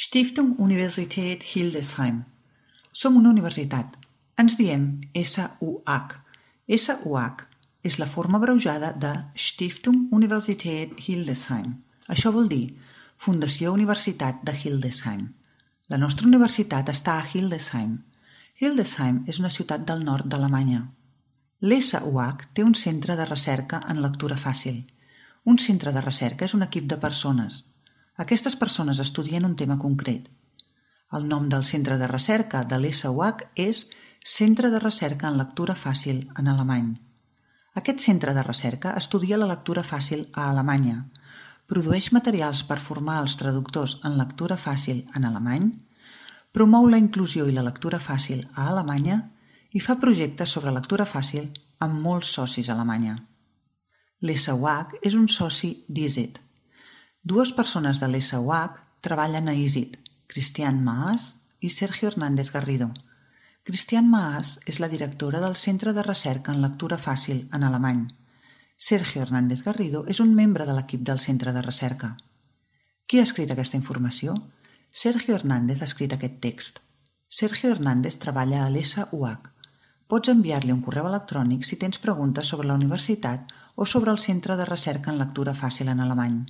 Stiftung Universität Hildesheim. Som una universitat. Ens diem SUH. SUH és la forma abreujada de Stiftung Universität Hildesheim. Això vol dir Fundació Universitat de Hildesheim. La nostra universitat està a Hildesheim. Hildesheim és una ciutat del nord d'Alemanya. L'SUH té un centre de recerca en lectura fàcil. Un centre de recerca és un equip de persones. Aquestes persones estudien un tema concret. El nom del centre de recerca de l'SUH és Centre de Recerca en Lectura Fàcil en alemany. Aquest centre de recerca estudia la lectura fàcil a Alemanya, produeix materials per formar els traductors en lectura fàcil en alemany, promou la inclusió i la lectura fàcil a Alemanya i fa projectes sobre lectura fàcil amb molts socis a Alemanya. L'SUH és un soci d'ISET. Dues persones de l'SUH treballen a ISET, Christian Maas i Sergio Hernández Garrido. Christian Maas és la directora del Centre de Recerca en Lectura Fàcil en alemany. Sergio Hernández Garrido és un membre de l'equip del Centre de Recerca. Qui ha escrit aquesta informació? Sergio Hernández ha escrit aquest text. Sergio Hernández treballa a l'SUH. Pots enviar-li un correu electrònic si tens preguntes sobre la universitat o sobre el Centre de Recerca en Lectura Fàcil en alemany.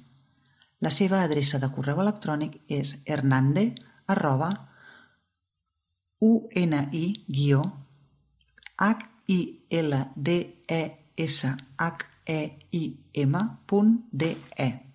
La seva adreça de correu electrònic és hernande@uni-hildesheim.de